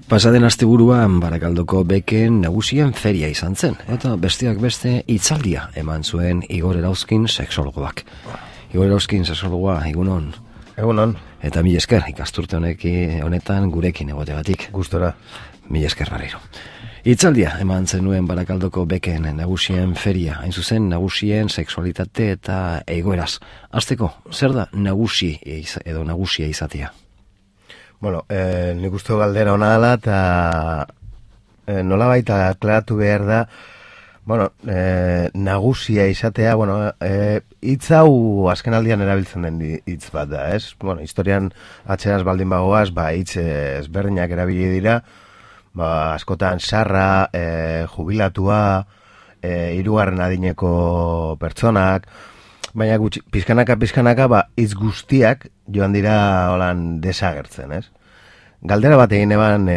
Pasaden asteburuan Barakaldoko beken nagusien feria izan zen, eta besteak beste hitzaldia eman zuen Igor Erauzkin sexologoak. Igor Erauzkin sexologoa, egunon. Egunon. Eta mila esker ikasturte honetan gurekin egotegatik. Gustora. Mila esker berriro. Hitzaldia eman zenuen Barakaldoko beken nagusien feria, hain zuzen nagusien sexualitate eta egoeraz. Hasteko, zer da nagusi edo nagusia izatea? Bueno, nik uste galdera hona dela, eta nola baita aklaratu behar da, bueno, nagusia izatea, bueno, hitz hau azken aldian erabiltzen den hitz bat da, ez? Bueno, historian atxeraz baldin bagoaz, hitz ezberdinak erabili dira, askotan sarra, jubilatua, hirugarren adineko pertsonak, baina gutxi, pizkanaka, hitz guztiak joan dira holan desagertzen, ez? Galdera bat egin eban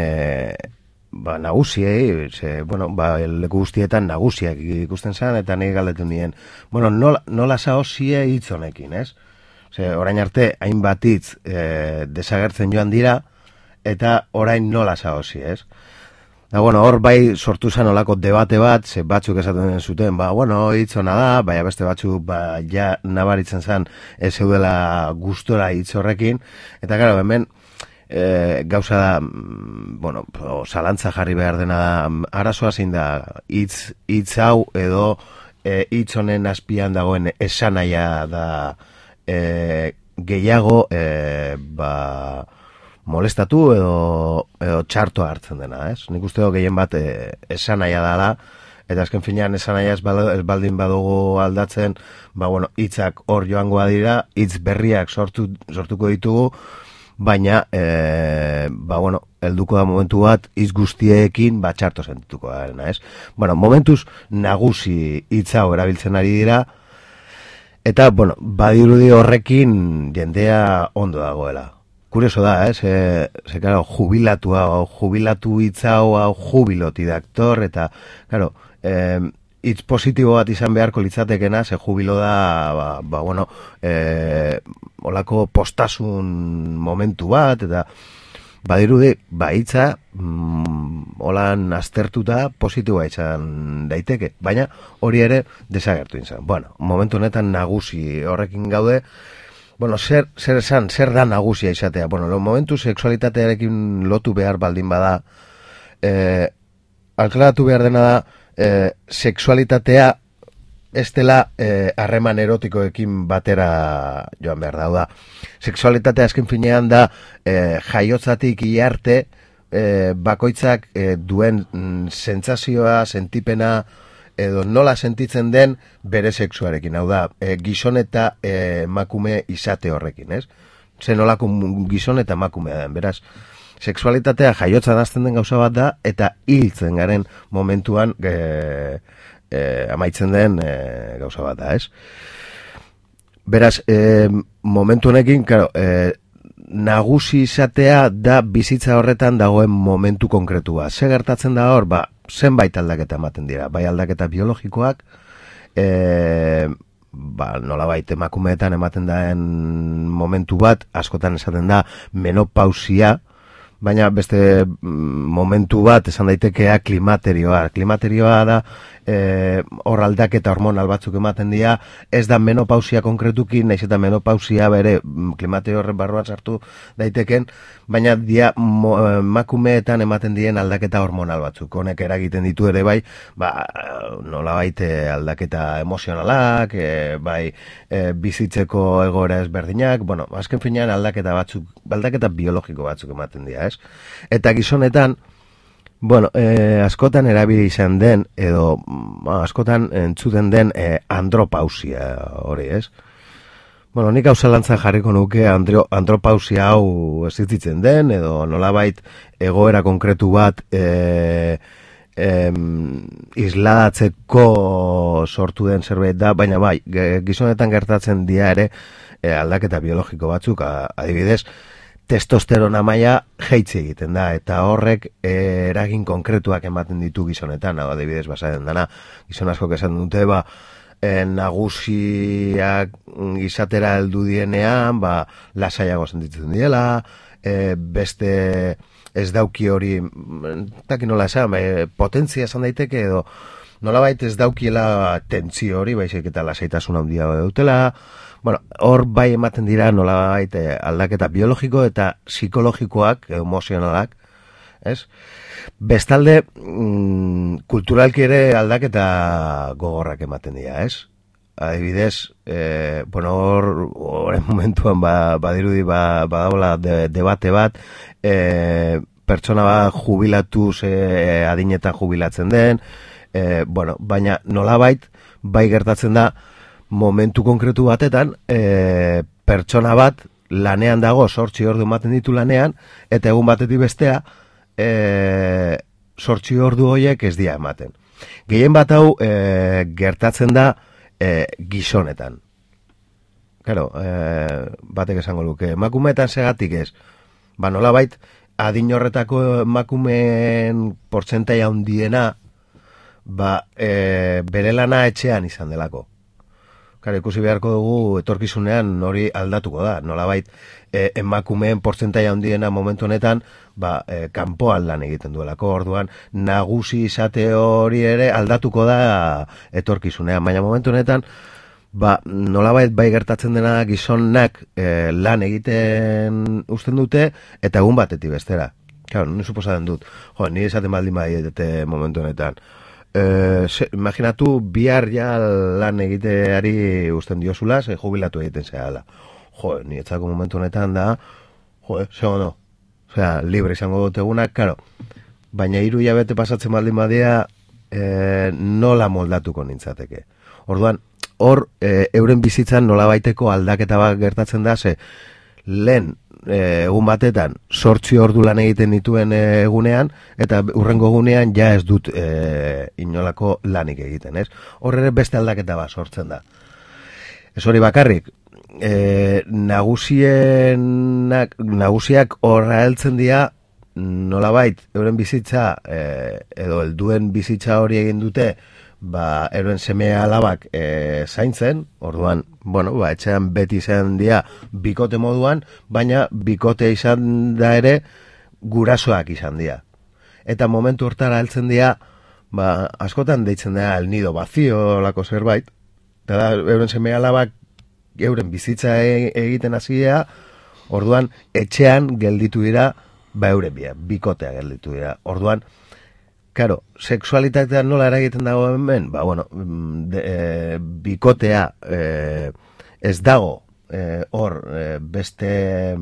nagusiei, leku guztietan nagusiak ikusten zen, eta nahi galdetu nien, bueno, nola zaozie hitz honekin, ez? Orain arte, hainbat hitz desagertzen joan dira, eta orain nola zaozie, ez? Da, bueno, hor bai sortu zen olako debate bat, ze batzuk esaten zuten, hitz hona da, baina beste batzuk, ja nabaritzen zen ez zeudela gustora hitz horrekin, eta gara, hemen gauza da, bueno, zalantza jarri behar dena da, arazoa zein da, hitz hau edo hitz honen azpian dagoen esanaia da gehiago, molestatu edo txartoa hartzen dena, ez? Nik uste gehien bat esanaia dela, eta azken finean esanaia ez baldin badugu aldatzen, hitzak hor joangoa dira, hitz berriak sortuko ditugu, baina, helduko da momentu bat, hitz guztiekin txarto sentituko da, ez? Momentuz nagusi hitz hau erabiltzen ari dira, eta, badirudi horrekin jendea ondo dagoela. Kurioso da, claro, jubilatu hitza hau jubiloti daktor, eta, claro, hitz positibo bat izan beharko litzatekena, ze jubilo da, olako postasun momentu bat, eta badirudi, hitza, holan aztertuta positiboa izan daiteke, baina hori ere desagertu izan. Momentu honetan nagusi horrekin gaude. Zer da nagusia izatea? Momentu sexualitatearekin lotu behar baldin bada, alklaratu behar dena da, sexualitatea ez dela harreman erotikoekin batera joan behar da. Sexualitatea azken finean da, jaiotzatik iarte, bakoitzak duen sentsazioa, sentipena, edo nola sentitzen den bere sexuarekin, hau da, gizon eta emakume izate horrekin, ez? Nolako gizon eta emakumea den, beraz, sexualitatea jaiotzan hasten den gauza bat da, eta hiltzen garen momentuan amaitzen den gauza bat da, ez? Beraz, momentu honekin, nagusi izatea da bizitza horretan dagoen momentu konkretua. Ze gertatzen da hor, zenbait aldaketa ematen dira, bai aldaketa biologikoak, nolabait emakumeetan ematen daen momentu bat, askotan esaten da menopausia, baina beste momentu bat esan daitekea klimaterioa. Klimaterioa da hor aldaketa hormonal batzuk ematen dira, ez da menopausia konkretuki, naiz eta menopausia bere klimaterio horren barruan sartu daiteken, baina dia emakumeetan ematen diren aldaketa hormonal batzuk. Honek eragiten ditu ere bai, nolabait aldaketa emozionalak, bai bizitzeko egoera ezberdinak, azken finean aldaketa biologiko batzuk ematen dira, ez? Eta gizonetan, askotan erabili izan den, edo askotan entzuten den andropausia hori, ez? Nik hau zalantzan jarriko nuke andropausia hau existitzen den, edo nolabait egoera konkretu bat isladatzeko sortu den zerbait da, baina bai, gizonetan gertatzen dira ere aldaketa biologiko batzuk, adibidez, testosterona maila jaitsi egiten da, eta horrek eragin konkretuak ematen ditu gizonetan, adibidez basaden dana, gizon askok esan dute, nagusiak izatera heldu dienean, lasaiago sentitzen diela, beste ez dauki hori, takin nola esan, potentzia esan daiteke edo, nolabait ez daukiela tentzio hori, baizik eta lasaitasun handia dutela, bueno, hor bai ematen dira nolabait aldaketa biologiko eta psikologikoak, emozionalak, ez? Bestalde, kulturalki ere aldaketa gogorrak ematen dira, ez? Adibidez, bueno, horren momentuan badirudi badagoela debate bat, pertsona bat jubilatuz adinetan jubilatzen den, bueno, baina nolabait bai gertatzen da momentu konkretu batetan, pertsona bat lanean dago, 8 ordu ematen ditu lanean, eta egun batetik bestea, 8 ordu horiek ez dira ematen. Gehien bat hau gertatzen da gizonetan. Claro, batek esango luke, emakumeetan segatik ez. Ba nolabait, adin horretako emakumeen portzentai handiena, bere lana etxean izan delako. Claro, ikusi beharko dugu etorkizunean hori aldatuko da. Nolabait, emakumeen portzentai handiena momentu honetan, kanpoan lan egiten duelako. Orduan, nagusi izate hori ere aldatuko da etorkizunean. Baina momentu honetan, nolabait bai gertatzen dena gizonak lan egiten uzten dute, eta egun batetik bestera. Claro, ni suposatzen dut. Jo, ni esaten baldin badiete momentu honetan. Imaginatu bihar ja lan egiteari uzten diozula, jubilatu egiten zehala. Jo, ni etzako momentu honetan da, zego no. Osea, libre izango dut egunak, karo. Baina 3 hilabete pasatzen baldin badia, nola moldatuko nintzateke. Orduan, hor, euren bizitzan nola baiteko aldaketa bat gertatzen da, lehen egun batetan 8 ordu lan egiten dituen egunean, eta urrengo egunean ja ez dut inolako lanik egiten, ez? Hor ere beste aldaketa bat sortzen da. Ez hori bakarrik, nagusiak horra heltzen dira, nolabait, euren bizitza, edo helduen bizitza hori egin dute, euren seme alabak zaintzen, orduan, bueno, etxean beti izan dira bikote moduan, baina bikote izan da ere gurasoak izan dira. Eta momentu hortara heltzen dira, askotan deitzen dira el nido vacío lako zerbait, eta da, euren seme alabak euren bizitza egiten hasia, orduan, etxean gelditu dira, euren bikotea gelditu dira. Orduan, claro, sexualitatea nola eragiten dago hemen, bueno, bikotea ez dago hor beste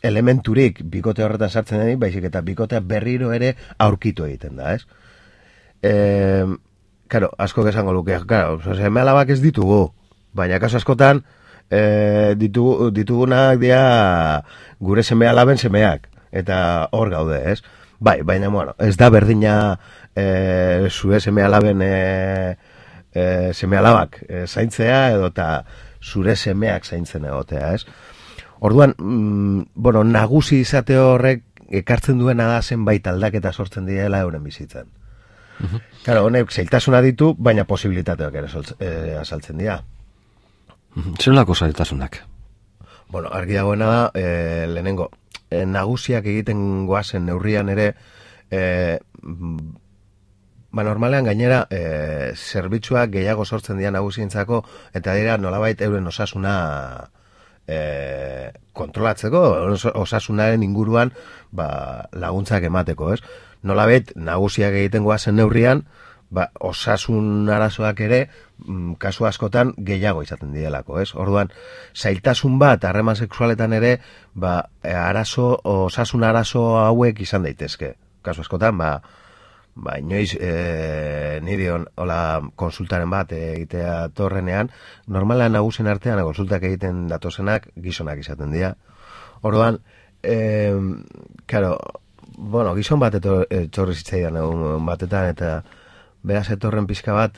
elementurik bikote horretan sartzen denik, baizik eta bikotea berriro ere aurkitu egiten da, ez? Claro, asko esango luke, claro, seme alabak ez ditugu, baina kaso askotan ditugunak dira gure seme alaben semeak, eta hor gaude, ez? Bai, baina, bueno, ez da berdina zure seme alaben seme alabak zaintzea edo eta zure semeak zaintzen egotea, ez? Orduan, bueno, nagusi izate horrek ekartzen duena da zenbait aldaketa sortzen direla euren bizitzan. Claro, honek zailtasuna ditu, baina posibilitateak ere azaltzen dira. Zer lako zailtasunak? Bueno, argi dagoena da, lehenengo, nagusiak egiten goazen neurrian ere, normalean gainera zerbitzuak gehiago sortzen dira nagusientzako, eta dira nolabait euren osasuna kontrolatzeko, osasunaren inguruan laguntzak emateko, ez? Nolabait nagusiak egiten goazen neurrian, osasun arazoak ere kasu askotan gehiago izaten direlako, ez? Orduan, zailtasun bat harreman sexualetan ere, osasun arazo hauek izan daitezke. Kasu askotan, inoiz niri hola konsultaren bat egitea torrenean, normalean nagusien artean konsultak egiten datozenak gizonak izaten dira. Orduan, bueno, gizon bat etorri zitzaidan egun batetan, eta beraz etorren pixka bat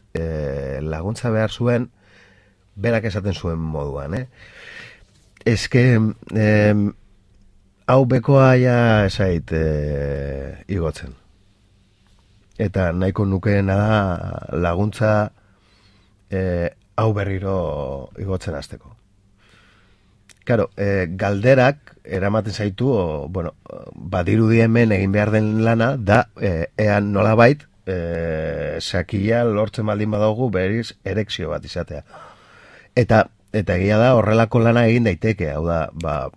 laguntza behar zuen, berak esaten zuen moduan, eske hau bekoa ja esait igotzen. Eta nahiko nukeena da laguntza hau berriro igotzen hasteko. Claro, galderak eramaten zaitu, bueno, badirudi hemen egin behar den lana, da, ean nolabait, sakia lortzen baldin badaugu beriz erekzio bat izatea. Eta egia da horrelako lana egin daiteke, hau da,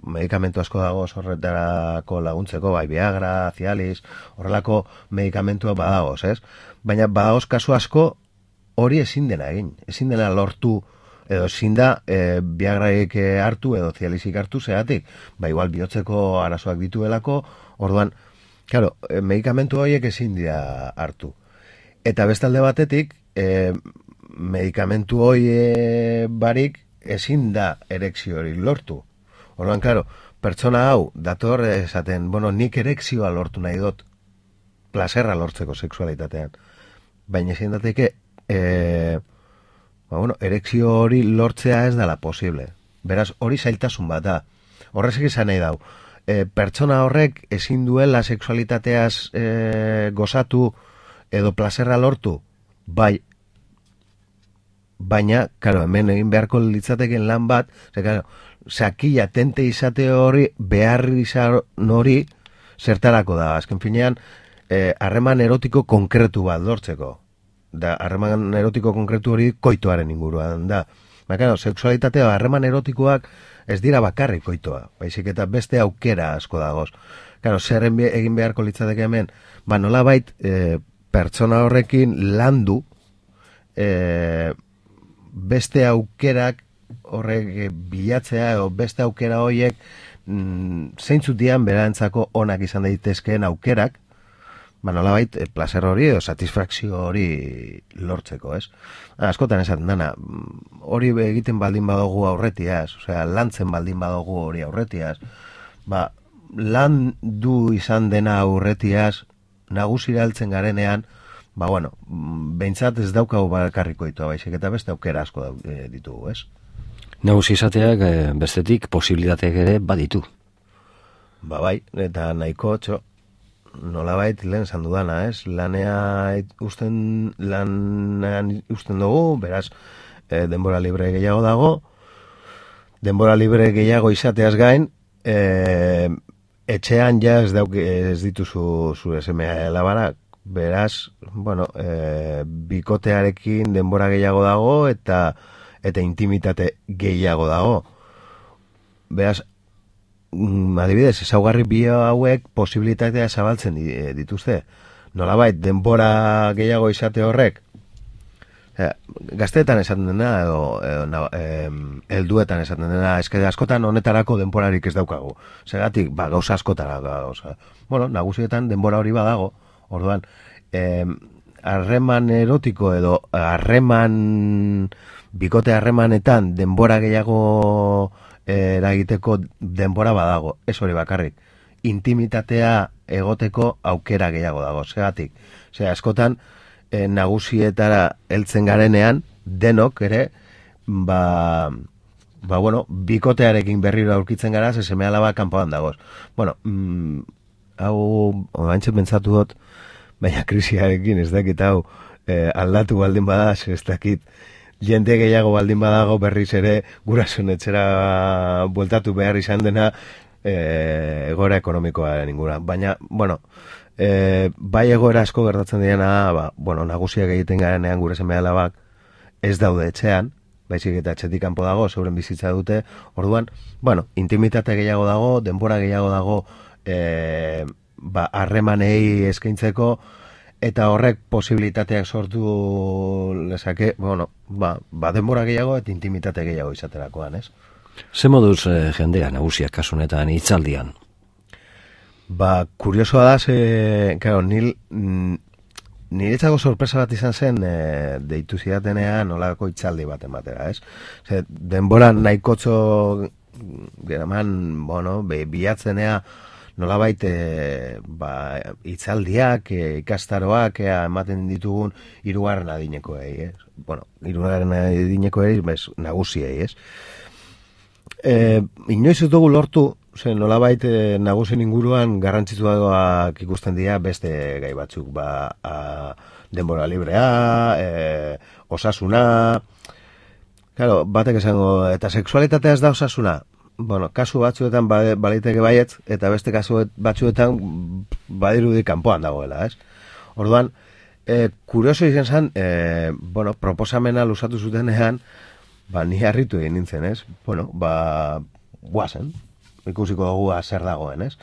medikamentu asko dago horretarako laguntzeko, bai Viagra, Cialis, horrelako medikamentua badagoz, ez? Baina badagoz kasu asko hori ezin dena egin, ezin dena lortu, edo ezin da Viagraik hartu edo Cialisik hartu zeatik, igual bihotzeko arazoak dituelako, orduan, claro, medikamentu horiek ezin dira hartu. Eta bestalde batetik, medikamentu hori barik ezin da erekzio hori lortu. Orduan, claro, pertsona hau dator esaten, bueno, nik erekzioa lortu nahi dut, plazerra lortzeko sexualitatean. Baina ezin dateke, erekzio hori lortzea ez dela posible. Beraz, hori zailtasun bat da. Horrezek izan nahi dau. Pertsona horrek ezin duela sexualitateaz gozatu edo plazerra lortu, bai. Baina, karo, hemen egin beharko litzateken lan bat, sakila tente izate hori, behar izan hori, zertarako da. Azken finean, harreman erotiko konkretu bat lortzeko. Da, harreman erotiko konkretu hori koitoaren inguruan da. Baina, sexualitatea, harreman erotikoak ez dira bakarrik koitoa, baizik eta beste aukera asko dagoz. Claro, zer egin beharko litzateke hemen, nolabait pertsona horrekin landu beste aukerak horrek bilatzea edo beste aukera horiek zeintzuk dian berantzako onak izan daitezkeen aukerak, nolabait placer hori edo satisfakzio hori lortzeko, ez? Askotan esaten dana, hori egiten baldin badugu aurretiaz, osea, lantzen baldin badugu hori aurretiaz, landu izan dena aurretiaz, nagusira heltzen garenean, behintzat ez daukagu bakarriko itoa, baizik eta beste aukera asko ditugu, ez? Nagusi izateak bestetik posibilitateak ere baditu. Bai, eta nahiko nolabait lehen esan dudana, ez? Lanean usten dugu, beraz, denbora libre gehiago dago, denbora libre gehiago izateaz gain, etxean ja ez dituzu zure semea alabarak, beraz, bikotearekin denbora gehiago dago eta intimitate gehiago dago. Beraz, adibidez, ezaugarri bi hauek posibilitatea zabaltzen dituzte. Nolabait, denbora gehiago izate horrek, gazteetan esaten dena, edo helduetan esaten dena, eske askotan honetarako denborarik ez daukagu. Zergatik, gauza askotara gauza. Nagusietan denbora hori badago, orduan, harreman erotiko edo bikote harremanetan denbora gehiago eragiteko denbora badago, ez hori bakarrik. Intimitatea egoteko aukera gehiago dago, zergatik. Askotan, nagusietara heltzen garenean, denok ere, bikotearekin berriro aurkitzen gara, seme alaba kanpoan dagoz. Hau, oantxe pentsatu dut, baina krisiarekin ez dakit hau aldatu baldin bada, ez dakit, jende gehiago baldin badago berriz ere gurasoen etxera bueltatu behar izan dena egoera ekonomikoaren inguruan. Baina, bai egoera asko gertatzen diena, nagusiak egiten garenean gure seme alabak ez daude etxean, baizik eta etxetik kanpo dago, zeuren bizitza dute, orduan, intimitate gehiago dago, denbora gehiago dago, harremanei eskaintzeko, eta horrek posibilitateak sortu lezake, denbora gehiago eta intimitate gehiago izaterakoan, ez? Ze moduz jendea nagusiak kasunetan hitzaldian? Kuriosoa da, claro, niretzako sorpresa bat izan zen deitu zidatenean nolako hitzaldi bat ematera, ez? Denbora nahikotxo geraman, bilatzenea nolabait hitzaldiak, ikastaroak ematen ditugun hirugarren adinekoei, ez? Hirugarren adinekoei, nagusiei, ez? Inoiz ez dugu lortu, nolabait nagusien inguruan garrantzitsuagoak ikusten dira beste gai batzuk, denbora librea, osasuna, claro, batek esango, eta sexualitatea ez da osasuna? bueno, kasu batzuetan baliteke baietz, eta beste kasu batzuetan badirudi kanpoan dagoela, ez? Orduan, kurioso izan zen, bueno, proposamena luzatu zutenean, ni harritu egin nintzen, ez? Bueno, guazen, ikusiko dugu zer dagoen, ez?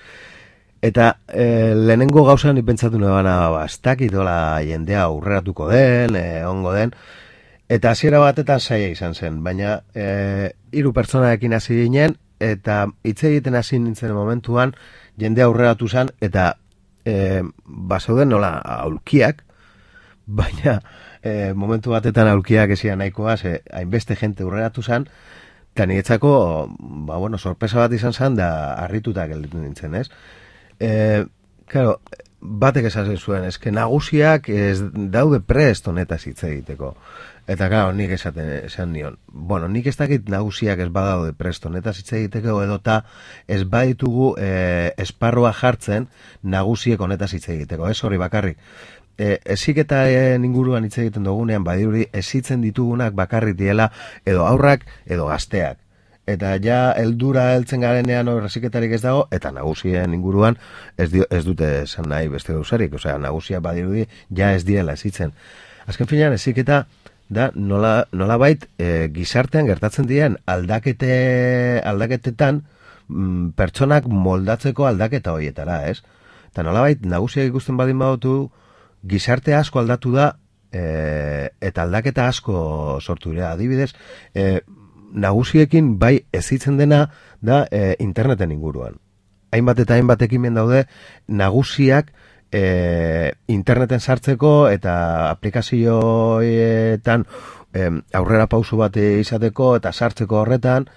Eta lehenengo gauzan ipentsatu nebana, ez dakitola jendea aurreratuko den, ongo den, eta hasiera batetan zaila izan zen, baina 3 pertsonarekin hasi ginen, eta hitz egiten hasi nintzen momentuan, jende aurreratu zen, eta bazeuden nola aulkiak, baina momentu batetan aulkiak ezian nahikoa, hainbeste jente aurreratu zen, eta niretzako, bueno, sorpresa bat izan zen, da harrituta gelditu nintzen, ez? Claro, batek esaten zuen, eske nagusiak ez daude prest honetaz hitz egiteko. Eta claro, nik esan nion. Bueno, nik ez dakit nagusiak ez badaude prest honetaz hitz egiteko, edota ez baditugu esparrua jartzen nagusiek honetaz hitz egiteko. Ez hori bakarrik. Heziketaren inguruan hitz egiten dugunean badirudi hezitzen ditugunak bakarrik diela edo aurrak edo gazteak. Eta ja heldura heltzen garenean heziketarik ez dago, eta nagusien inguruan ez dute esan nahi beste gauzarik. Osea, nagusia badirudi ja ez diela hezitzen. Azken finean heziketa da nolabait gizartean gertatzen diren aldaketetan pertsonak moldatzeko aldaketa horietara, ez? Eta nolabait nagusiak ikusten badin badutu gizarte asko aldatu da eta aldaketa asko sortu dira. Adibidez, nagusiekin bai ezitzen dena da interneten inguruan. Hainbat eta hainbat ekimen daude nagusiak interneten sartzeko eta aplikazioetan aurrera pauso bat izateko eta sartzeko horretan,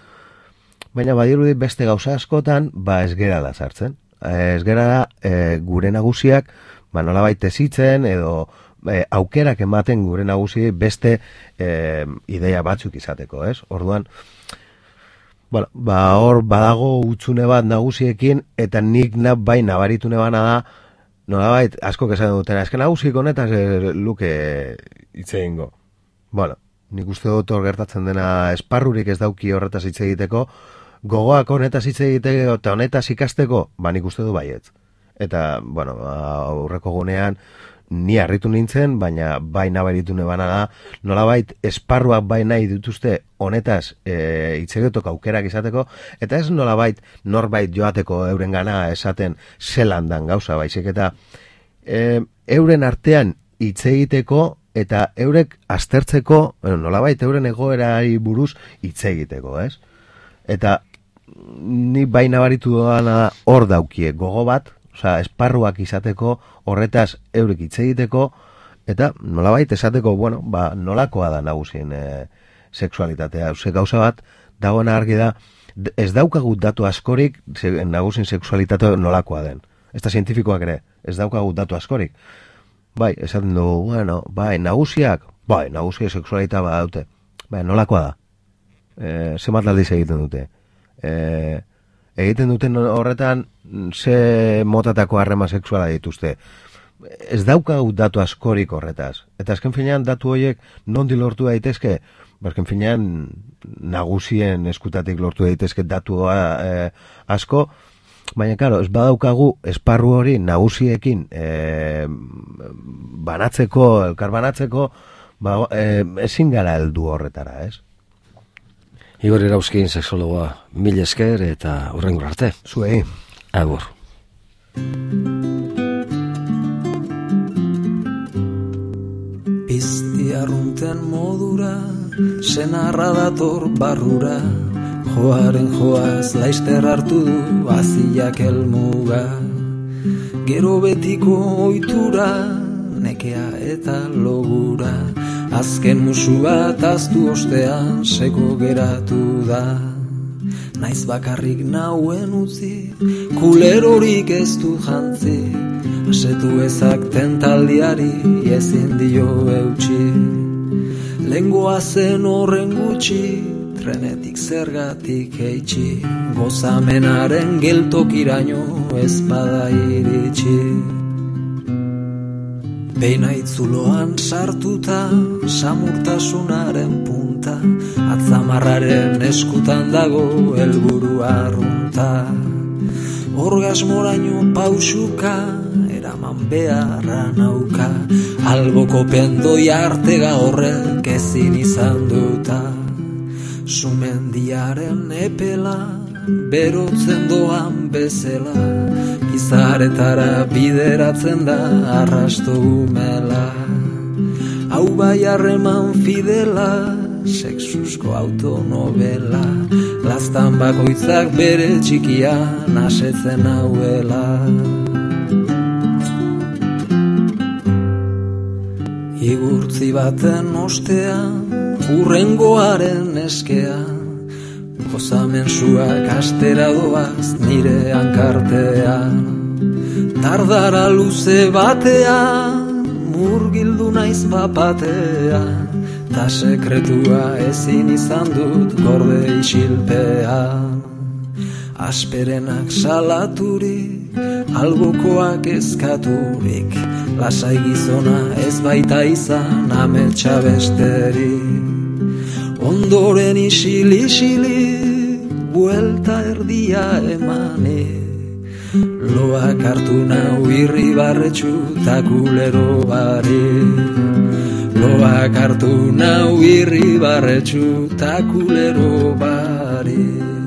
baina badirudi beste gauza askotan ez gerala sartzen. Ez gerala gure nagusiak nolabait ezitzen edo aukerak ematen gure nagusi beste ideia batzuk izateko, ez? Orduan, bueno, hor badago hutsune bat nagusiekin, eta nik bai nabaritu nebana da, nolabait asko esan dutena, eske nagusik honetaz luke hitz egingo. Bueno, nik uste dut hor gertatzen dena esparrurik ez dauki horretaz hitz egiteko, gogoak honetaz hitz egiteko eta honetaz ikasteko, nik uste du baietz. Eta, bueno, aurreko gunean ni harritu nintzen, baina bai nabaritu nebana da, nolabait esparruak bai nahi dituzte honetaz hitz egiteko aukerak izateko, eta ez nolabait norbait joateko eurengana esaten zelan dan gauza, baizik eta euren artean hitz egiteko eta eurek aztertzeko, nolabait euren egoerari buruz hitz egiteko, ez? Eta ni bai nabaritu doana hor daukie gogo bat, osea, esparruak izateko, horretaz eurek hitz egiteko, eta nolabait esateko, bueno, nolakoa da nagusien sexualitatea. Ze gauza bat, dagoena argi da, ez daukagu datu askorik nagusien sexualitatea nolakoa den. Ez da zientifikoak ere, ez daukagu datu askorik. Bai, esaten dugu, bueno, nagusiak sexualitatea badaute. Bai, nolakoa da? Zenbat aldiz egiten dute? Egiten duten horretan ze motatako harrema sexuala dituzte. Ez daukagu datu askorik horretaz. Eta azken finean datu horiek nondi lortu daitezke? Azken finean nagusien eskutatik lortu daitezke datu asko, baina claro, ez badaukagu esparru hori nagusiekin elkar banatzeko, ezin gara heldu horretara, ez? Igor Irauzkin, sexologoa, mil esker eta hurrengo arte. Zuei. Agur. Pizti arrunten modura, senarra dator barrura, joaren joaz laister hartu du aziak elmuga. Gero betiko oitura, nekea eta logura, azken musu bat aztu ostean seko geratu da. Naiz bakarrik nauen utzi, kulerorik ez du jantzi, asetu ezak tentaldiari ezin dio eutxi. Lengoa zen horren gutxi, trenetik zergatik eitxi, gozamenaren geltokiraino ezpada iritsi. Beina itzuloan sartuta, samurtasunaren punta, arrunta, atzamarraren eskutan dago helburu arrunta. Orgasmoraino pausuka, eraman beharra nauka, alboko pendoi artega horrek ezin izan duta. Sumendiaren epela, berotzen doan bezala, izaretara bideratzen da arrasto umela. Hau bai harreman fidela, sexusko autonovela, laztan bakoitzak bere txikian asetzen hauela. Igurtzi baten ostean, urrengoaren eskean, gozamensuak astera doaz nire hankartean. Tardara luze batean, murgildu naiz bapatean, ta sekretua ezin izan dut gorde isilpean. Asperenak salaturik, albokoak eskaturik, lasai gizona ez baita izan ametsa besterik. Ondoren isili, buelta erdia emane, loak hartu nau irribarretxu ta kulero bare. Loak hartu nau irribarretxu ta kulero bare.